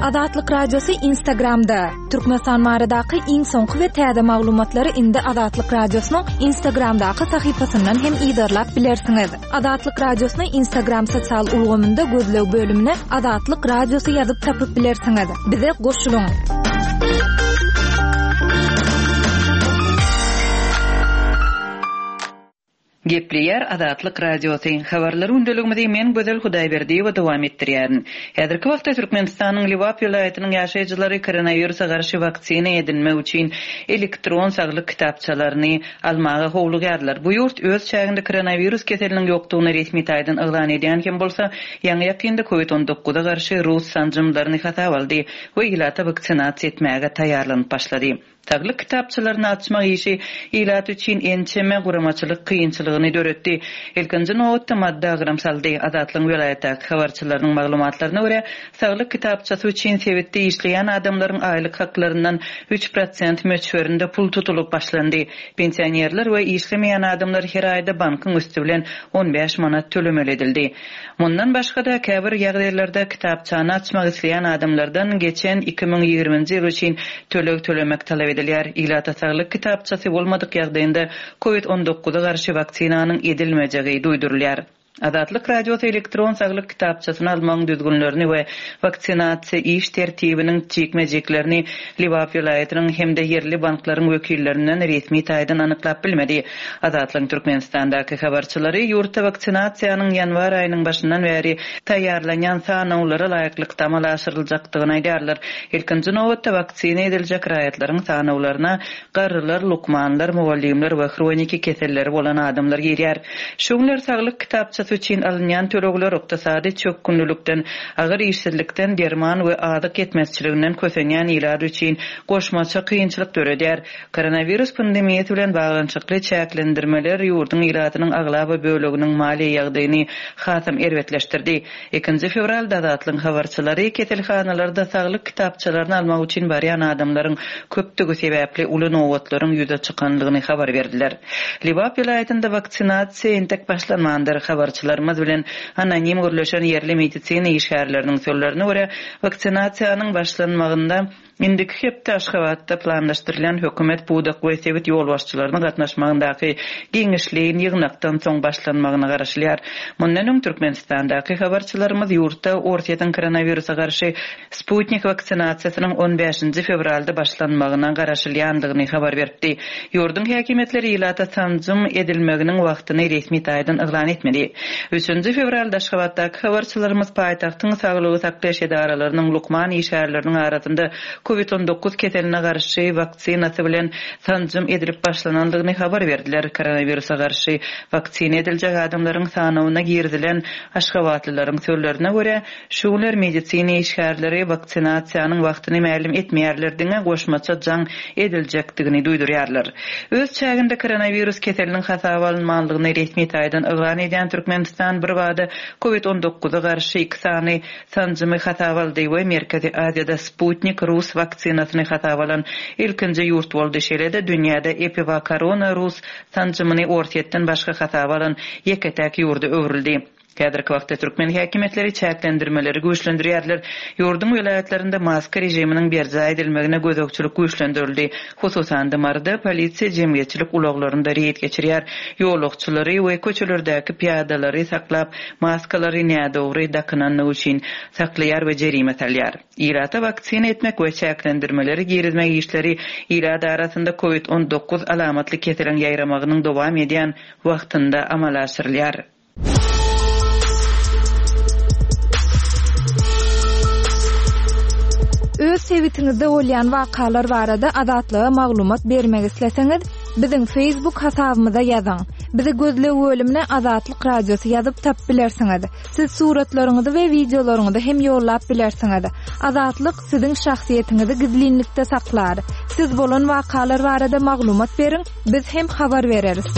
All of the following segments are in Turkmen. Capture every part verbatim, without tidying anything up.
Azatlyk Radiosy Instagramda. Türkmenistan baradaky iň soňky we täze maglumatlary indi Azatlyk Radiosynyň Instagramdaky sahypasyndan hem yzarlap bilersiňiz. Azatlyk Radiosyny Instagram sosial ulgamynda gözleg bölümine Azatlyk Radiosy ýazyp tapyp bilersiňiz. Bize goşulyň. Gepleýär Azatlyk Radiosy. Habarlar gündeligimizi men Gözel Hudaýberdiýewa dowam etdirýärin. Häzirki wagtda Türkmenistanyň Lebap welaýatynyň ýaşaýjylary koronawirusa garşy waksina edinmek üçin elektron saglyk kitapçalaryny almaga howlugýarlar. Bu ýurt öz çäginde koronawirus keseliniň ýokdugyny resmi taýdan yglan edýän hem bolsa, ýaňy-ýakynda Covid on dokuza garşy rus sanjymlaryny hasaba aldy we ilata waksinasiýa etmäge taýýarlanyp başlady. Saglyk kitapçalaryny açmak işi ilat üçin ençeme guramaçylyk kynçylygyny döretdi. Ilkinji nobatda maddy agram saldy. Azatlygyň welaýatdaky habarçylarynyň maglumatlaryna görä, saglyk kitapçasy üçin sebitde işleýän adamlaryň aýlyk haklaryndan üç prosent möçberinde pul tutulyp başlandy. Pensionerler we işlemeýän adamlar her aýda bankyň üsti bilen on bäş manat tölemeli edildi. Mundan başga-da käbir ýagdaýlarda kitapçany açmak isleýän adamlardan geçen iki müň ýigriminji ýyl üçin töleg tölemek talap edilýär. Ilata saglyk kitapçasy bolmadyk ýagdaýynda Covid on dokuza garşy waksinanyň edilmejegi duýdurylýar. Azatlyk Radiosy elektron saglyk kitapçasyny almagyň düzgünlerini we waksinasiýa iş tertibiniň jikme-jiklerini Lebap welaýatynyň hem-de ýerli banklaryň wekillerinden resmi taýdan anyklap bilmedi. Azatlygyň Türkmenistandaky habarçylary ýurtda waksinasiýanyň ýanwar aýynyň başyndan bäri taýýarlanýan sanawlara laýyklykda amala aşyryljakdygyny aýdýarlar. Ilkinji nobatda waksina ediljek raýatlaryň sanawlaryna garrylar, lukmanlar, mugallymlar we hroniki keselleri bolan adamlar girýär. Şu günler saglyk kitapçasy üçin alynýan tölegler ykdysady çökgünlilikden, agyr işsizlikden, derman we azyk ýetmezçiliginden kösenýän ilat üçin goşmaça kynçylyk döredýär. Koronawirus pandemiýasy bilen baglanyşykly çäklendirmeler ýurduň ilatynyň aglaba böleginiň maliýe ýagdaýyny hasam erbetleşdirdi. Ikinji fewralda Azatlygyň habarçylary keselhanalarda saglyk kitapçalaryny almak üçin barýan adamlaryň köpdügi sebäpli uly nobatlaryň ýüze çykanlygyny habar berdiler. Lebap welaýatynda waksinasiýa entek başlanmandyr. Habarçylarymyz bilen anonim gürleşen ýerli medisina işgärleriniň sözlerine görä, waksinasiýanyň başlanmagynda indiki hepde Aşgabatda planlaşdyrylan hökümet pudak we sebit ýolbaşçylarynyň gatnaşmagyndaky giňişleýin ýygnakdan soň başlanmagyna garaşylýar. Mundan öň Türkmenistandaky habarçylarymyz ýurtda Orsýetiň koronawirusa garşy Sputnik waksinasiýasynyň on bäşinji fewralda başlanmagyna garaşylýandygyny habar beripdi. Ýurduň häkimiýetleri ilata sanjym edilmeginiň wagtyny resmi taýdan yglan etmedi. Üçünji fewralda Aşgabatdaky habarçylarymyz paýtagtyň saglygy saklaýyş edaralarynyň lukman işgärleriniň arasynda Covid on dokuz keseline garşy waksinasy bilen sanjym edilip başlanandygyny habar berdiler. Koronawirusa garşy waksina ediljek adamlaryň sanawyna girizilen Aşgabatlylaryň sözlerine görä, şu günler medisina işgärleri waksinasiýanyň wagtyny mälim etmeýärler, diňe goşmaça jaň ediljekdigini duýdurýarlar. Öz çäginde koronawirus keseliniň hasaba alynmanlygyny resmi taýdan yglan edýän Türkmenistan bir bada Covid on dokuza garşy iki sany sanjymy hasaba aldy we Merkezi Aziýada Sputnik rus waksinasyny hasaba alan ilkinji ýurt boldy. Şeýle-de dünýäde Epivakorona rus sanjymyny Orsýetden başga hasaba alan ýeke-täk ýurda öwrüldi. Häzirki wagtda türkmen häkimiýetleri çäklendirmeleri güýçlendirýärler. Ýurduň welaýatlarynda maska režiminiň berjaý edilmegine gözegçilik güýçlendirildi. Hususan-da Maryda polisiýa jemgyýetçilik ulaglarynda reýd geçirýär. Ýolagçylary we köçelerdäki piýadalary saklap, maskalary nädogry dakynanlygy üçin saklaýar we jerime salýar. Ilata waksina etmek we çäklendirmeleri girizmek işleri ilat arasynda Covid on dokuz alamatly keseliň ýaýramagynyň dowam edýän wagtynda amala aşyrylýar. Öz sebitiňizde bolýan wakalar barada Azatlyga maglumat bermek isleseňiz, biziň Facebook hasabymyza ýazyň. Bizi gözleg bölümine Azatlyk Radiosy ýazyp tap bilersiňiz. Siz suratlaryňyzy we wideolaryňyzy hem ýollap bilersiňiz. Azatlyk siziň şahsyýetiňizi gizlinlikde saklar. Siz bolan wakalar barada maglumat beriň, biz hem habar bereris.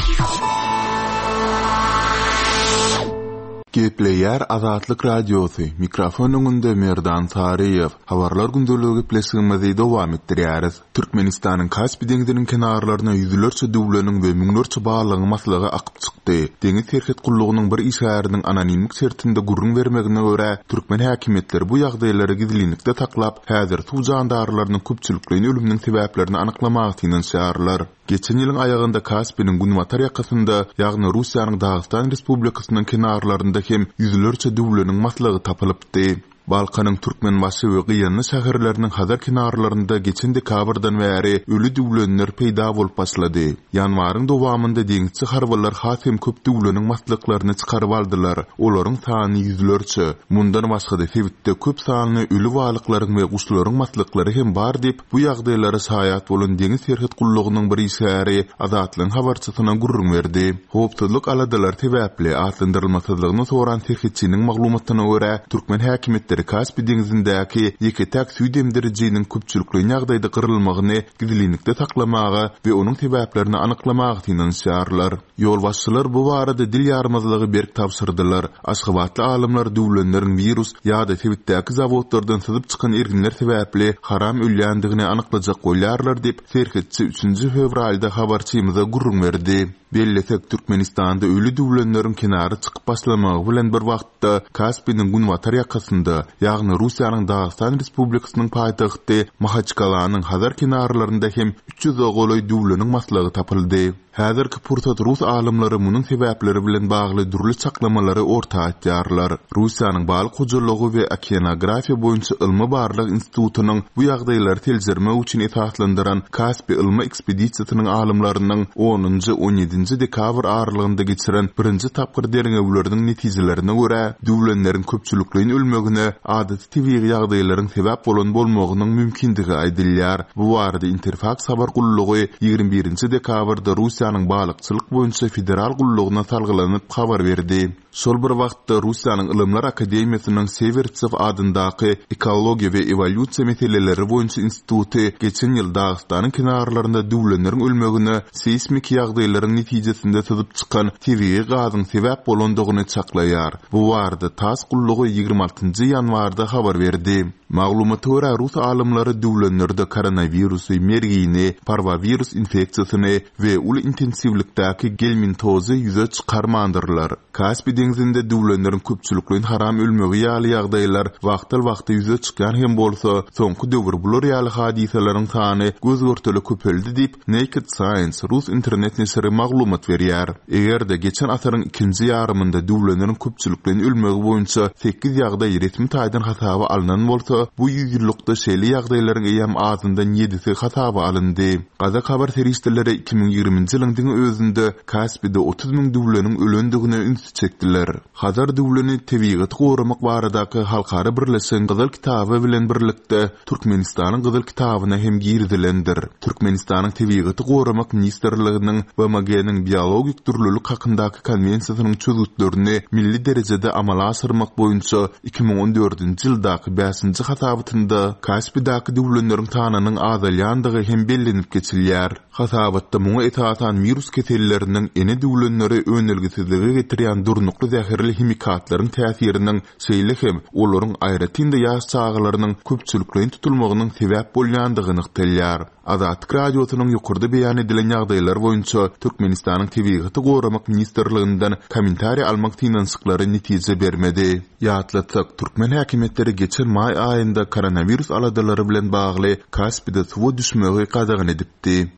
Gepleýär Azatlyk Radiosy, mikrofon öňünde Merdan Saryýew. Habarlar gündeligi gepleşigimizi dowam etdirýäris. Türkmenistanyň Kaspi deňziniň kenarlaryna ýüzlerçe düwleniň we müňlerçe balygyň maslygy akyp çykdy. Deňiz serhet gullugynyň bir işgäriniň anonimlik şertinde gürrüň bermegine görä, türkmen häkimiýetleri bu ýagdaýlary gizlinlikde saklap, häzir suw jandarlarynyň köpçülikleýin ölüminiň sebäplerini anyklamaga synanyşýarlar. Geçen ýylyň aýagynda Kaspiniň günbatar ýakasynda, ýagny Russiýanyň Dagystan Respublikasynyň kenarlarynda hem ýüzlerçe düwleniň maslygy tapylypdy. Balkanyň Türkmenbaşy we Gyýanly şäherleriniň Hazar kenarlarynda geçen dekabrdan bäri öli düwlenler peýda bolup başlady. Ýanwaryň dowamynda deňizçi harbylar has hem köp düwleniň maslyklaryny çykaryp aldylar. Olaryň sany ýüzlerçe. Mundan başga-da sebitde köp sanly öli balyklaryň we guşlaryň maslyklary hem bar diýip, bu ýagdaýlara şaýat bolan deňiz serhet gullugynyň bir işgäri Azatlygyň habarçysyna gürrüň berdi. Howpsuzlyk aladalary sebäpli atlandyrylmasyzlygyny soran serhetçiniň maglumatyna görä, türkmen häkimiýetleri Kaspi deňzindäki ýeke-täk süýt emdirijiniň köpçülikleýin ýagdaýda gyrylmagyny gizlinlikde saklamaga we onuň sebäplerini anyklamaga synanyşýarlar. Ýolbaşçylar bu barada dil ýarmazlygy berk tabşyrdylar. Aşgabatly alymlar düwlenleriň wirus ýa-da sebitdäki zawodlardan syzyp çykan erginler sebäpli haram ölýändigini anyklajak bolýarlar diýip, serhetçi üçünji fewralda habarçymyza gürrüň berdi. Bellesek, Türkmenistanda öli düwlenleriň kenara çykyp başlamagy bilen bir wagtda Kaspiniň günbatar ýakasynda, ýagny Russiýanyň Dagystan Respublikasynyň paýtagty Mahaçkalanyň Hazar kenarlarynda hem üç ýüze golaý düwleniň maslygy tapyldy. Häzirki pursat rus alymlary munuň sebäpleri bilen bagly dürli çaklamalary orta atýarlar. Russiýanyň balyk hojalygy we okeanografiýa boýunça ylmy barlag institutynyň bu ýagdaýlary seljermek üçin esaslandyran Kaspi ylmy ekspedisiýasynyň alymlarynyň onunjy on ýedinji dekabr aralygynda geçiren birinji tapgyr derňewleriniň netijelerine görä, düwlenleriň köpçülikleýin ölmegine adaty tebigy ýagdaýlaryň sebäp bolan bolmagynyň mümkindigi aýdylýar. Bu barada Interfaks habar gullugy ýigrimi birinji dekabrda Russiýanyň balykçylyk boýunça federal gullugyna salgylanyp habar berdi. Şol bir wagtda Russiýanyň Ylymlar Akademiýasynyň Sewertsew adyndaky ekologiýa we ewolýusiýa meseleleri boýunça instituty geçen ýyl Dagystanyň kenarlarynda düwlenleriň ölmegine seýsmik ýagdaýlaryň netijesinde syzyp çykan tebigy gazyň sebäp bolandygyny çaklaýar. Bu barada TASS gullugy ýigrimi altynjy ýanwarda habar berdi. Maglumata görä, rus alymlary düwlenlerde koronawirusy, mergini, parwovirus infeksiýasyny we uly intensiwlikdäki gelmintozy ýüze çykarmandyrlar. Kaspi deňzinde düwlenleriň köpçülikleýin haram ölmegi ýaly ýagdaýlar wagtal-wagta ýüze çykýan hem bolsa, soňky döwür bular ýaly hadysalaryň sany göz-görtele köpeldi diýip, Naked Science rus internet neşiri maglumat berýär. Eger-de geçen asyryň ikinji ýarymynda düwlenleriň köpçülikleýin ölmegi boýunça sekiz ýagdaý resmi taýdan hasaba alnan bolsa, bu ýüz ýyllykda şeýle ýagdaýlaryň eýýäm azyndan ýedisi hasaba alyndy. Gazak habar serişdeleri iki müň ýigriminji ýylyň diňe özünde Kaspide otuz müň düwleniň ölendigine ünsi çekdiler. Hazar düwleni tebigaty goramak baradaky halkara birleşigiň Gyzyl kitaby bilen birlikde Türkmenistanyň Gyzyl kitabyna hem girizilendir. Türkmenistanyň Tebigaty goramak ministrliginiň B M G-niň biologik dürlülik hakyndaky konwensiýasynyň çözgütlerini milli derejede amala aşyrmak boýunça iki müň on dördünji ýyldaky bäşinji hasabatynda Kaspidäki düwlenleriň sanynyň azalýandygy hem bellenip geçilýär. Hasabatda muňa esasan virus keselleriniň ene düwlenleri önelgesizlige getirýän durnukly zäherli himikatlaryň täsiriniň, şeýle hem olaryň aýratyn-da ýaş çagalarynyň köpçülikleýin tutulmagynyň sebäp bolýandygy nygtalýar. Azatlyk Radiosynyň ýokarda beýan edilen ýagdaýlar boýunça Türkmenistanyň Tebigaty goramak ministrliginden kommentariý almak synanyşyklary netije bermedi. Ýatlatsak, türkmen häkimiýetleri geçen maý aýynda koronawirus aladalary bilen bagly Kaspide suwa düşmegi gadagan edipdi.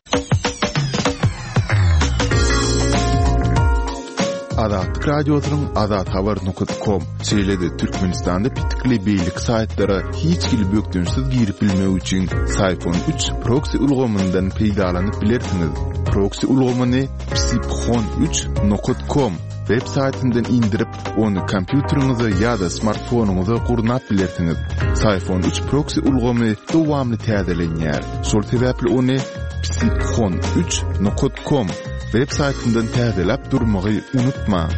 Azatlyk Radiosynyň Azat Habar nokta com, şeýle-de Türkmenistanda pitikli beýleki saýtlara hiç hili bökdençsiz girip bilmek üçin Syfon üç proxy ulgamyndan peýdalanyp bilersiňiz. Proxy ulgamyny psiphon üç nokta com web saýtyndan indirip, ony kompýuteriňize ýa-da smartfonyňyza gurnap bilersiňiz. Syfon üç proxy ulgamy dowamly täzelenýär. Şol sebäpli ony psiphon üç nokta com web saýtyndan täzeläp durmagy unutma.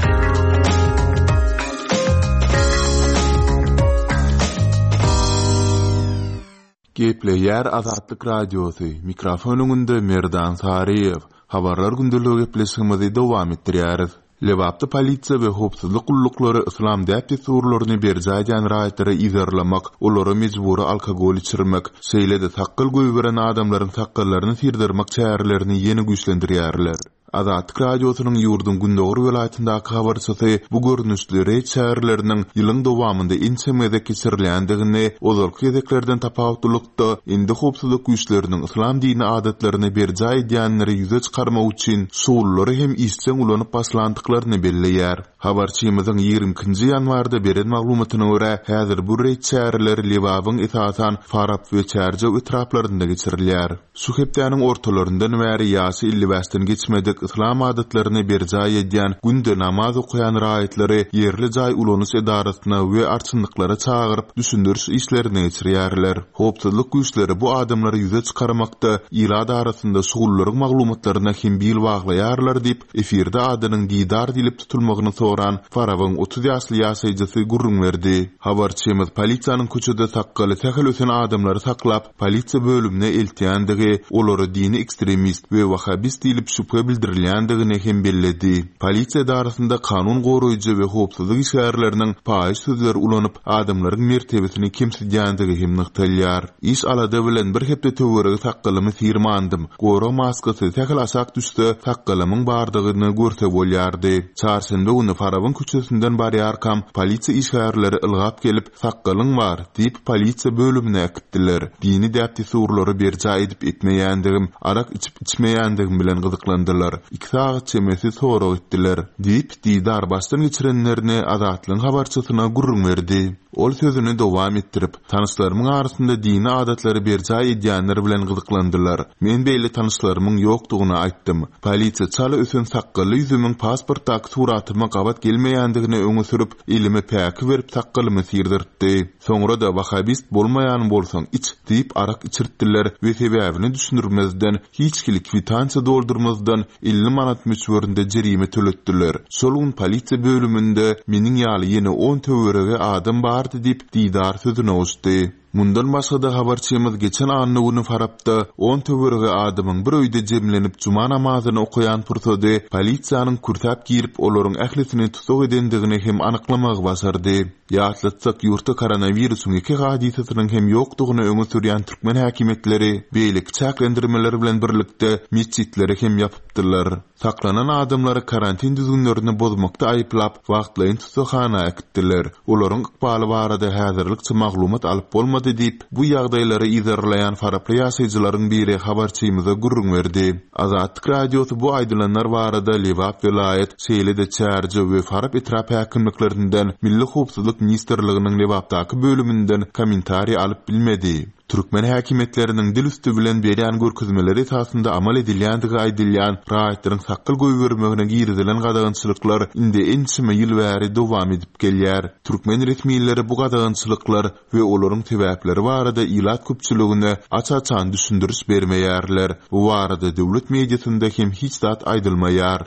Gepleýär Azatlyk Radiosy, mikrofon öňünde Merdan Saryýew. Habarlar gündeligi gepleşigimizi dowam etdirýäris. Lebapda polisiýa we howpsuzlyk gulluklary yslam däp-dessurlaryny berjaý edýän raýatlary yzarlamak, olara mejbury alkogol içirmek, şeýle-de sakgal goýberen adamlaryň sakgallaryny syrdyrmak çärelerini ýene güýçlendirýärler. Azatlyk Radiosynyň ýurduň gündogar welaýatyndaky habarçysy bu görnüşli reýd çäreleriniň ýylyň dowamynda ençeme gezek geçirilýändigini, ozalky gezeklerden tapawutlylykda indi howpsuzlyk güýçleriniň yslam dini adatlaryny berjaý edýänleri ýüze çykarmak üçin şugullary hem işjeň ulanyp başlandyklaryny belleýär. Habarçymyzyň ýigrimi ikinji ýanwarda beren maglumatyna görä, häzir bu reýd çäreleri Lebabyň esasan Farap we Çärjew etraplarynda geçirilýär. Şu hepdäniň ortalaryndan bäri ýaşy elli bäşden geçmedik yslam adatlaryny berjaý edýän, günde namaz okaýan raýatlary ýerli jaý ulanyş edarasyna we arçynlyklara çagyryp, düşündiriş işlerini geçirýärler. Howpsuzlyk güýçleri bu adamlary ýüze çykarmakda ilat arasynda şugullaryň maglumatlaryna hem bil baglaýarlar diýip, efirde adynyň Didar diýlip tutulmagyny soran Farabyň otuz ýaşly ýaşaýjysy gürrüň berdi. Habarçymyz polisiýanyň köçede sakgaly sähel ösen adamlary saklap, polisiýa bölümine eltýändigi, olara dini ekstremist we wahabist diýlip şübhe bildirilýändigini hem belledi. Polisiýa edarasynda kanun goraýjy we howpsuzlyk işgärleriniň paýyş sözleri ulanyp, adamlaryň mertebesini kemsidýändigi hem nygtalýar. Iş alada bilen bir hepde töweregi sakgalymy syrmandym. Gorag maskasy sähel aşak düşse, sakgalymyň bardygyny görse bolýardy. Çarşenbe güni Farabyň köçesinden barýarkam, polisiýa işgärleri ylgap gelip, sakgalyň bar diýip polisiýa bölümine äkitdiler. Dini däp-dessurlary berjaý edip etmeýändigim, arak içip içmeýändigim bilen gyzyklandylar. Iki sagat çemesi sorag etdiler diýip, Didar başdan geçirenlerini Azatlygyň habarçysyna gürrüň berdi. Ol sözüni dowam etdirip, tanyşlarymyň arasynda dini adatlary berjaý edýänler bilen gyzyklandylar. Men beýle tanyşlarymyň ýokdugyny aýtdym. Polisiýa çala ösen sakgally ýüzümiň pasportdaky suratyma gabat gelmeýändigini öňe sürüp, elime päki berip sakgalymy syrdyrtdy. Soňra da wahabist bolmaýan bolsaň iç diýip arak içirtdiler we sebäbini düşündirmezden, hiç hili kwitansiýa doldurmazdan elli manat möçberinde jerime töletdiler. Şol gün polisiýa bölüminde meniň ýaly ýene on töweregi adam bardy diýip Didar sözüne goşdy. Mundan başga-da habarçymyz geçen anna güni Farapda on töweregi adamyň bir öýde jemlenip juma namazyny okaýan pursady polisiýanyň kürsäp girip olaryň ählisini tutuk edendigini hem anyklamagy başardy. Ýatlatsak, ýurtda koronawirusyň iki hadysasynyň hem ýokdugyny öňe sürýän türkmen häkimiýetleri beýleki çäklendirmeler bilen birlikde mesjitleri hem ýapypdylar. Saklanan adamlary karantin düzgünlerini bozmakda aýyplap, wagtlaýyn tutukhana äkitdiler. Olaryň ykbaly barada häzirlikçe maglumat alyp bolmady diýip, bu ýagdaýlary yzarlaýan Faraply ýaşaýjylaryň biri habarçymyza gürrüň berdi. Azatlyk Radiosy bu aýdylanlar barada Lebap welaýat, şeýle-de Çärjew we Farap etrap häkimliklerinden Milli Howpsuzlyk Ministrliginiň Lebapdaky bölüminden kommentariý alyp bilmedi. Türkmen häkimiýetleriniň dil üstü bilen berýän görkezmeleri esasynda amal edilýändigi aýdylýan raýatlaryň sakgal goýbermegine girizilen gadagançylyklar indi ençeme ýyl bäri dowam edip gelýär. Türkmen resmileri bu gadagançylyklar we olaryň sebäpleri barada ilat köpçüligine aç-açan düşündiriş bermeýärler. Bu barada döwlet mediasynda hem hiç zat aýdylmaýar.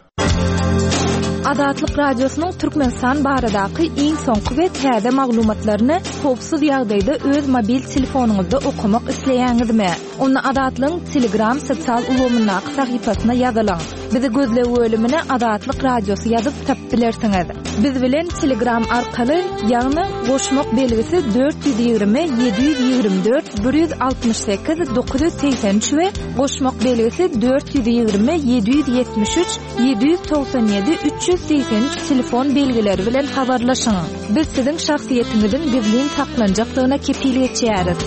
Azatlyk Radiosynyň Türkmenistan baradaky iň soňky we täze maglumatlaryny howpsuz ýagdaýda öz mobil telefonyňyzda okamak isleýäňizmi? Onda Azatlygyň Telegram sosial ulgamyndaky sahypasyna ýazylyň. Bizi gözleg bölümine Azatlyk Radiosy ýazyp tapyp bilersiňiz. Biz bilen Telegram arkaly, ýagny goşmak belgisi dört ýüz ýigrimi ýedi ýüz ýigrimi dört bir ýüz altmyş sekiz dokuz ýüz segsen üç we goşmak belgisi dört ýüz ýigrimi ýedi ýüz ýetmiş üç ýedi ýüz togsan ýedi üç ýüz segsen üç telefon belgileri bilen habarlaşyň. Biz siziň şahsyýetiňiziň gizlin saklanjakdygyna kepil geçýäris.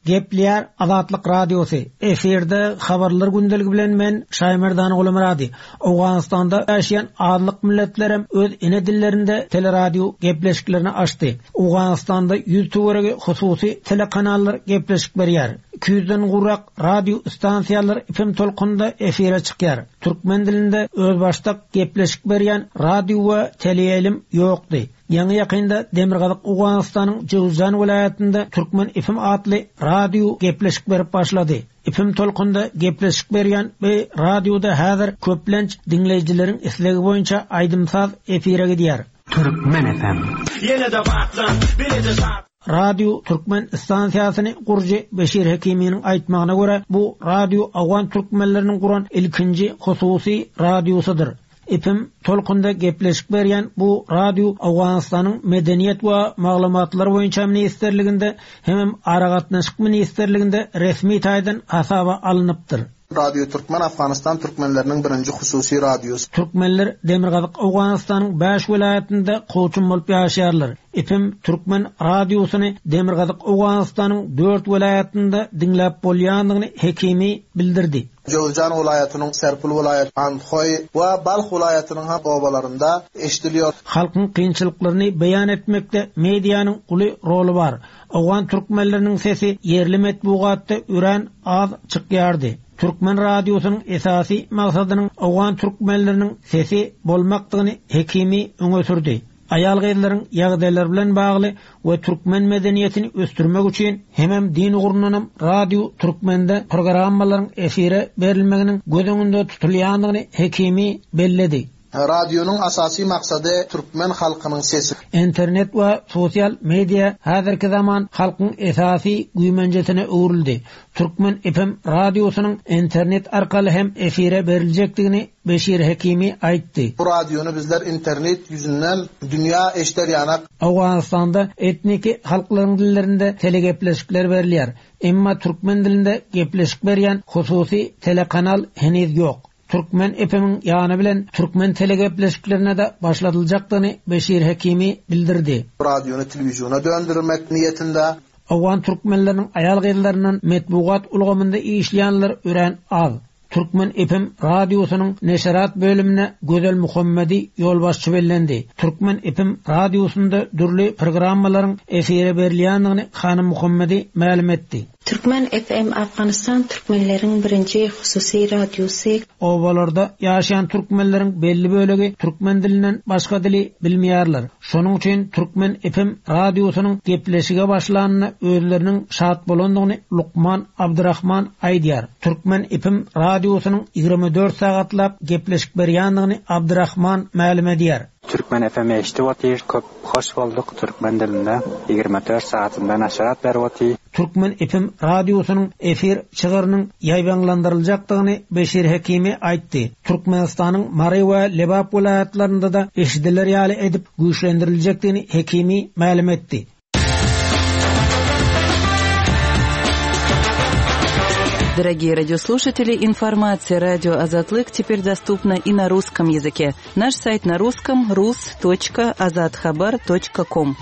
Gepleýär Azatlyk Radiosy. Efirde habarlar gündeligi bilen men Şaýmerdan Gulmyrady. Owganystanda ýaşaýan azlyk milletlerem öz ene dillerinde teleradio gepleşiklerini açdy. Owganystanda ýüz töweregi hususy telekanallar gepleşik berýär. Iki ýüzden gowrak radio stansiýalar F M tolkunynda efire çykýar. Türkmen dilinde özbaşdak gepleşik berýän radio we teleýaýlym ýokdy. Ýaňy ýakynda Demirgazyk Owganystanyň Jowzjan welaýatynda Türkmen F M atly radio gepleşik berip başlady. F M tolkunda gepleşik berýän bu radioda häzir köplenç diňleýjileriň islegi boýunça aýdym-saz efire gidýär. Türkmen F M. Ýene-de batlan, bileje şat. Radio Türkmen stansiýasyny gurujy Beşir Hekiminiň aýtmagyna görä, bu radio Awgan türkmenleriniň guran ilkinji hususy radiosydyr. Epim tolkunda gepleşik berýän bu radio Awganystanyň Medeniýet we Maglumatlar boýunça ministrliginde hem Aragatnaşyk ministrliginde resmi taýdan hasaba alnypdyr. Radio Türkmen Afganistan türkmenleriniň birinji hususy radiosy. Türkmenler Demirgazyk Awganystanyň bäş welaýatynda kowçum bolup ýaşaýarlar. Epim Türkmen radiosyny Demirgazyk Awganystanyň dört welaýatynda diňläp bolýandygyny Hekimi bildirdi. Jowzjan welaýatynyň Serpul welaýaty, Andhoý we Balh welaýatynyň hem obalarynda eşidiliyor. Halkyň kynçylyklaryny beýan etmekde medianyň uly roly bar. Awgan türkmenleriniň sesi ýerli metbugatda örän az çykýardy. Türkmen radiosynyň esasy maksadynyň Awgan türkmenleriniň sesi bolmakdygyny Hekimi öňe sürdi. Aýal gyzlaryň ýagdaýlary bilen bagly we türkmen medeniýetini ösdürmek üçin hemem din ugrundanam Radio Türkmende programmalaryň efire berilmeginiň göz öňünde tutulýandygyny Hekimi belledi. Radionyň asasy maksady türkmen halkynyň sesi. Internet we sosial media häzirki zaman halkyň esasy güýmenjesine öwrüldi. Türkmen F M radiosynyň internet arkaly hem efire beriljekdigini Beşir Hekimi aýtdy. Bu radiony bizler internet ýüzünden dünýä eşder ýanak. Awganystanda etniki halklaryň dillerinde telegepleşikler berilýär. Emma türkmen dilinde gepleşik berýän hususy telekanal heniz ýok. Türkmen F M-iň ýany bilen türkmen telegepleşiklerine de başladyljakdygyny Beşir Hekimi bildirdi. Radiony telewiziona döndürmek niýetinde. Awgan türkmenleriniň aýal gyzlaryndan metbugat ulgamynda işleýänler örän az. Türkmen F M radiosynyň neşerat bölümine Gözel Muhammedi ýolbaşçy bellendi. Türkmen F M radiosynda dürli programmalaryň efire berilýändigini Hanym Muhammedi mälim etdi. Türkmen F M Afganistan türkmenleriň birinji hususy radiosy. Obalarda ýaşaýan türkmenleriň belli bölegi türkmen dilinden başga dili bilmeýärler. Şonuň üçin Türkmen F M radiosynyň gepleşige başlanyna özleriniň şat bolandygyny Lukman Abdurrahman aýdýar. Türkmen F M radiosynyň ýigrimi dört sagatlap gepleşik berýändigini Abdurrahman mälim edýär. Türkmen F M eşitip otyr, köp hoş bolduk türkmen dilinde ýigrimi dört sagatynda naşarat berip otyr. Türkmen F M radiosynyň efir çygyrynyň ýaýbaňlandyryljakdygyny Beşir Hekimi aýtdy. Türkmenistanyň Mary we Lebap welaýatlarynda da eşidiler ýaly edip güýçlendiriljekdigini Hekimi mälim etdi. Дорогие радиослушатели, информация радио Азатлык теперь доступна и на русском языке. Наш сайт на русском рус точка азатхабар точка ком.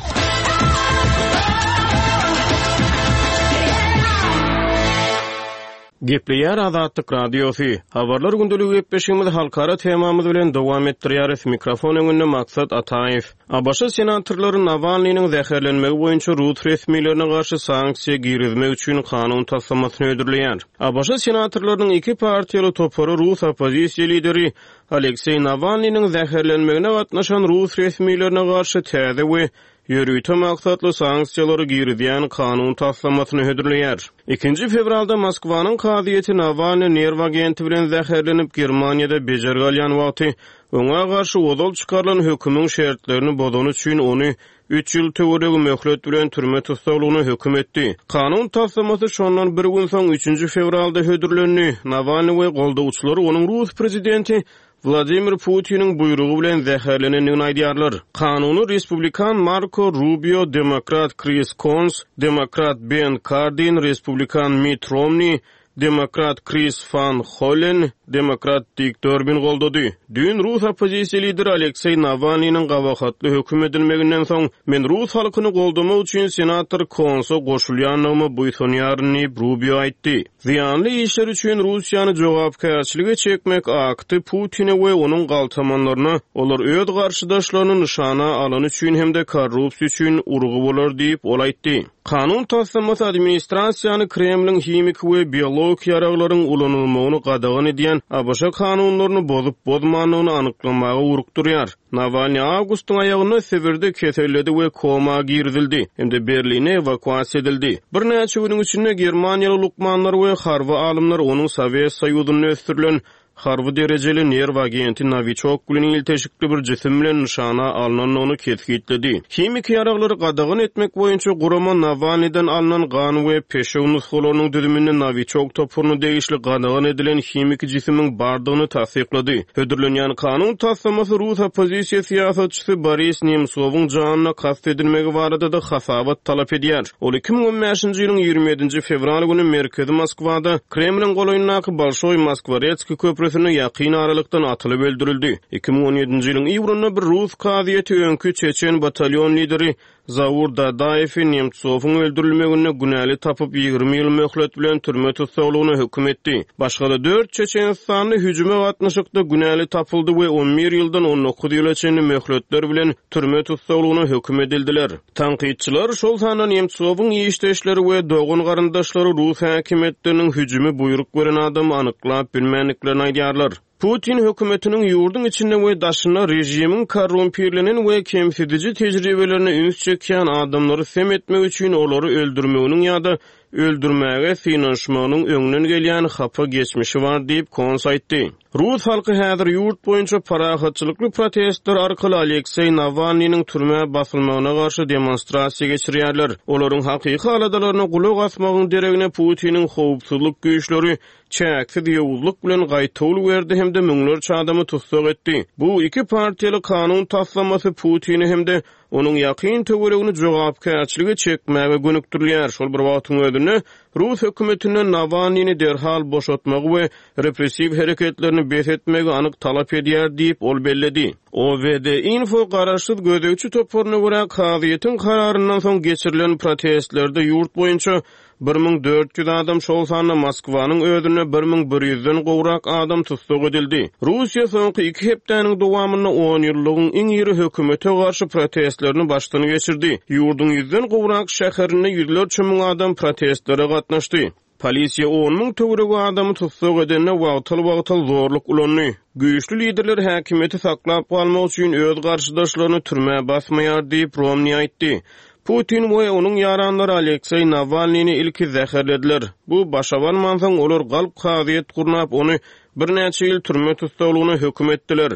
Gepleýär Azatlyk Radiosy. Habarlar gündeligi gepleşigimizi halkara temamyz bilen dowam etdirýäris. Mikrofon öňünde Maksat Ataýew. A B Ş senatorlary Nawalnynyň zäherlenmegi boýunça rus resmilerine garşy sanksiýa girizmek üçin kanun taslamasyny hödürleýär. A B Ş senatorlarynyň iki partiýaly topary rus oppozisiýa lideri Alekseý Nawalnynyň zäherlenmegine gatnaşan rus resmilerine garşy täze we ýörite maksatly sanksiýalary girizýän kanun taslamasyny hödürleýär. Ikinji fewralda Moskwanyň kazyýeti Nawalny nerw agenti bilen zäherlenip Germaniýada bejergi alýan wagty oňa garşy ozal çykarylan hökümiň şertlerini bozany üçin ony üç ýyl töweregi möhlet bilen türme tussaglygyna höküm etdi. Kanun taslamasy şondan bir gün soň üçünji fewralda hödürlendi. Nawalny we goldawçylary onuň rus prezidenti Vladimir Putiniň buýrugy bilen zäherlenendigini aýdýarlar. Kanuny Respublikan Marco Rubio, Demokrat Chris Coons, Demokrat Ben Cardin, Respublikan Mitt Romney, Demokrat Chris Van Hollen, Demokrat Dick Durbin goldady. Düýn rus oppozisiýa lideri Alekseý Nawalnynyň gabahatly höküm edilmeginden soň men rus halkyny goldamak üçin senator Coons'a goşulýandygymy buýsanýaryn diýip Rubio aýtdy. Zyýanly işler üçin Russiýany jogapkärçilige çekmek akty Putine we onuň galtamanlaryna olar öz garşydaşlaryny nyşana alany üçin hem-de korrupsiýa üçin urgy bolar diýip ol aýtdy. Kanun taslamasy administrasiýany Kremliň himiki we biologik ýaraglaryň ulanylmagyny gadagan edýän A B Ş kanunlaryny bozup bozmandygyny anyklamaga urukdurýar. Nawalny awgustyň aýagynda Sibirde keselledi we koma girizildi hem-de Berline ewakuasiýa edildi. Birnäçe günüň içinde Germaniýaly lukmanlar we harby alymlar onuň Sowet Soýuzynda ösdürilen harby derejeli nerw agenti Novichok bilen ilteşikli bir jisim bilen nyşana alnandygyny kesgitledi. Himiki ýaraglary gadagan etmek boýunça gurama Nawalnydan alnan gan we peşew nusgalarynyň düzüminde Novichok topuryna degişli gadagan edilen himiki jisimiň bardygyny tassyklady. Hödürlenýän kanun taslamasy Rus oppozisiýa syýasatçysy Boris Nemtsowyň janyna kast edilmegi barada-da hasabat talap edýär. Ol iki müň on bäşinji ýylyň ýigrimi ýedinji fewral güni merkezi Moskwada Kremliň golaýyndaky Bolşoý Moskwaretskiý köprüsine ýakyn aralykdan atylyp öldürildi. Iki müň on ýedinji ýylyň iýunynda bir Rus kazyýeti öňki Çeçen batalyon lideri Zaur Dadaýewi Nemtsowyň öldürilmeginde günäli tapyp ýigrimi ýyl möhlet bilen türme tussaglygyna höküm etdi. Başga-da dört Çeçenistanly hüjüme gatnaşykda günäli tapyldy we on bir ýyldan on dokuz ýyla çenli möhletler bilen türme tussaglygyna höküm edildiler. Tankytçylar şol sanda Nemtsowyň işdeşleri we dogan garyndaşlary Rus häkimiýetleriniň hüjümi buýruk beren adamy anyklap bilmändiklerini aýdýarlar. Putin hökümetiniň ýurduň içinde we daşynda režimiň korrumpirlenen we kemsidiji tejribelerine üns çekýän adamlary sem etmek üçin olary öldürmeginiň ýa-da öldürmäge synanyşmagynyň öňünden gelýän hapa geçmişi bar diýip Kons aýtdy. Rus halky häzir ýurt boýunça parahatçylykly protestler arkaly Alekseý Nawalnynyň türmä basylmagyna garşy demonstrasiýa geçirýärler. Olaryň hakyky aladalaryna gulak asmagyň deregine Putiniň howpsuzlyk güýçleri çäksiz ýowuzlyk bilen gaýtawul berdi hem-de müňlerçe adamy tussag etdi. Bu iki partiýaly kanun taslamasy Putini hem-de onuň ýakyn töweregini jogapkärçiligi çekmäge gönükdirilýär. Şol bir wagtyň özünde Rus hökümetinden Nawalnyny derhal boşatmagy we repressiw hereketlerini bes etmegi anyk talap edýär diýip ol belledi. O V D Info garaşsyz gözegçi toparyna görä kazyýetiň kararyndan soň geçirilen protestlerde ýurt boýunça bir müň dört ýüz adam, şol sanda Moskwanyň özünde bir müň bir ýüzden gowrak adam tussag edildi. Russiýa soňky iki hepdäniň dowamynda on ýyllygyň iň iri hökümete garşy protestlerini başdan geçirdi. Ýurduň ýüzden gowrak şäherinde ýüzlerçe müň adam protestlere gatnaşdy. Polisiýa on müň töweregi adamy tussag edende wagtal-wagtal zorluk ulandy. Güýçli liderler häkimiýeti saklap galmak üçin öz garşydaşlaryny türmä basmaýar diýip Romney aýtdy. Putin we onuň ýaranlary Alekseý Nawalnyny ilki zäherlediler. Bu başa barmansoň olar galp kazyýet gurnap ony birnäçe ýyl türme tussaglygyna höküm etdiler.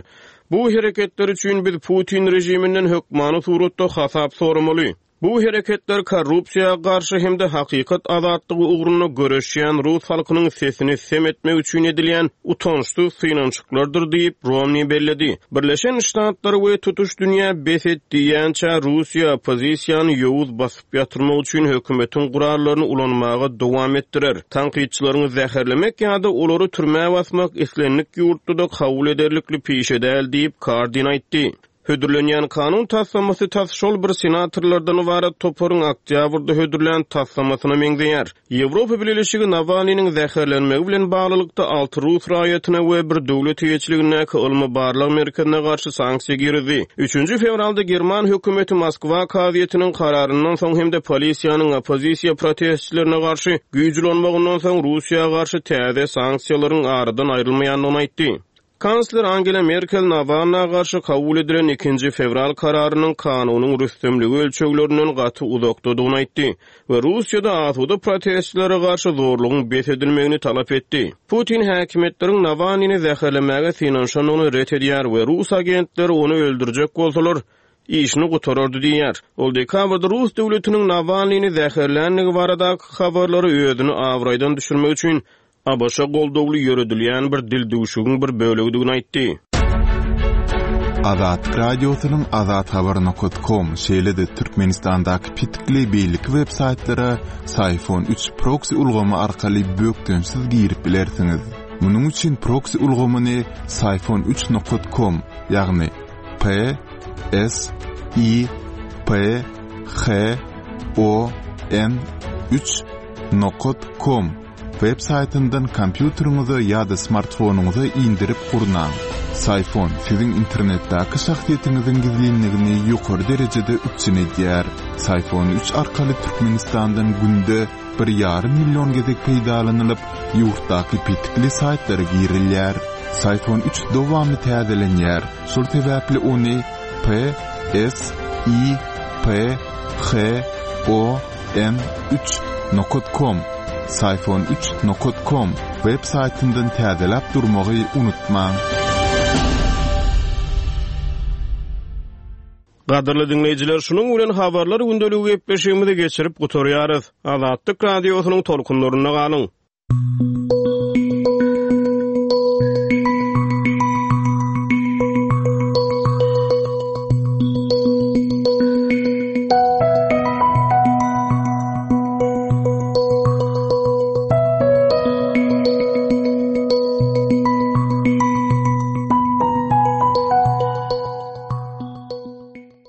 Bu hereketler üçin biz Putin režiminden hökmany suratda hasap soramaly. Bu hereketler korrupsiýa garşy hem-de hakykat azatlygy ugrunda göreşýän Rus halkynyň sesini sem etmek üçin edilýän utançsyz synanyşyklardyr diýip Romney belledi. Birleşen Ştatlar we tutuş dünýä bes et diýýänçä Russiýa oppozisiýany ýowuz basyp ýatyrmak üçin hökümetiň gurallaryny ulanmaga dowam etdirer. Tankytçylaryny zäherlemek ýa-da olary türmä basmak islendik ýurtda-da kabul ederlikli pişe däl diýip Kardin aýtdy. Hödürlenýän kanun taslamasy tas şol bir senatorlardan ybarat toparyň oktýabrda hödürlän taslamasyna meňzeýär. Ýewropa Bileleşigi Nawalnynyň zäherlenmegi bilen baglylykda alty rus raýatyna we bir döwlet eýeçiligindäki ylmy barlag merkezine garşy sanksiýa girdi. Üçünji fewralda German hökümeti Moskwa kazyýetiniň kararyndan soň hem-de polisiýanyň oppozisiýa protestçilerine garşy güýç ulanmagyndan soň Russiýa garşy täze sanksiýalaryň aradan aýrylmaýandygyny aýtdy. Kansler Angela Merkel Nawalna garşy kabul edilen ikinji fewral kararynyň kanunyň rüstemligi ölçeglerinden gaty uzakdadygyny aýtdy we Russiýada asuda protestçilere garşy zorlugyň bes edilmegini talap etdi. Putin häkimiýetleriň Nawalnyny zäherlemäge synanyşandygyny ret edýär we rus agentleri ony öldürjek bolsalar işini gutarardy diýýär. Ol dekabrda Rus döwletiniň Nawalnyny zäherlänligi baradaky habarlary özüni abraýdan düşürmek üçin A B Ş goldawly ýöredilýän bir dil duşugyň bir bölegidigini aýtdy. Azatlyk Radiosynyň azathabar nokta com şeýle-de Türkmenistandaky pitikli beýleki web saýtlara Syfon üç proxy ulgamy arkaly bökdençsiz girip bilersiňiz. Munuň üçin proxy ulgamyny Syfon üç nokta com, ýagny P S I P H O N üç nokta com web saýtyndan kompýuteriňize ýa-da smartfonyňyza indirip gurnaň. Syfon siziň internetdäki şahsyýetiňiziň gizlinligini ýokary derejede üpjün edýär. Syfon üç arkaly Türkmenistandan günde bir ýarym million gezek peýdalanylyp, ýurtdaky petikli saýtlara girilýär. Syfon üç dowamly täzelenýär. Şol sebäpli ony P S I P H O N üç nokta com Syfon üç nokat com web saýtyndan täzeläp durmagy unutmaň. Gadyrly diňleýjiler, şunuň bilen habarlar gündeligi gepleşigimizi geçirip gutarýarys. Azatlyk radiosynyň tolkunlarynda galyň.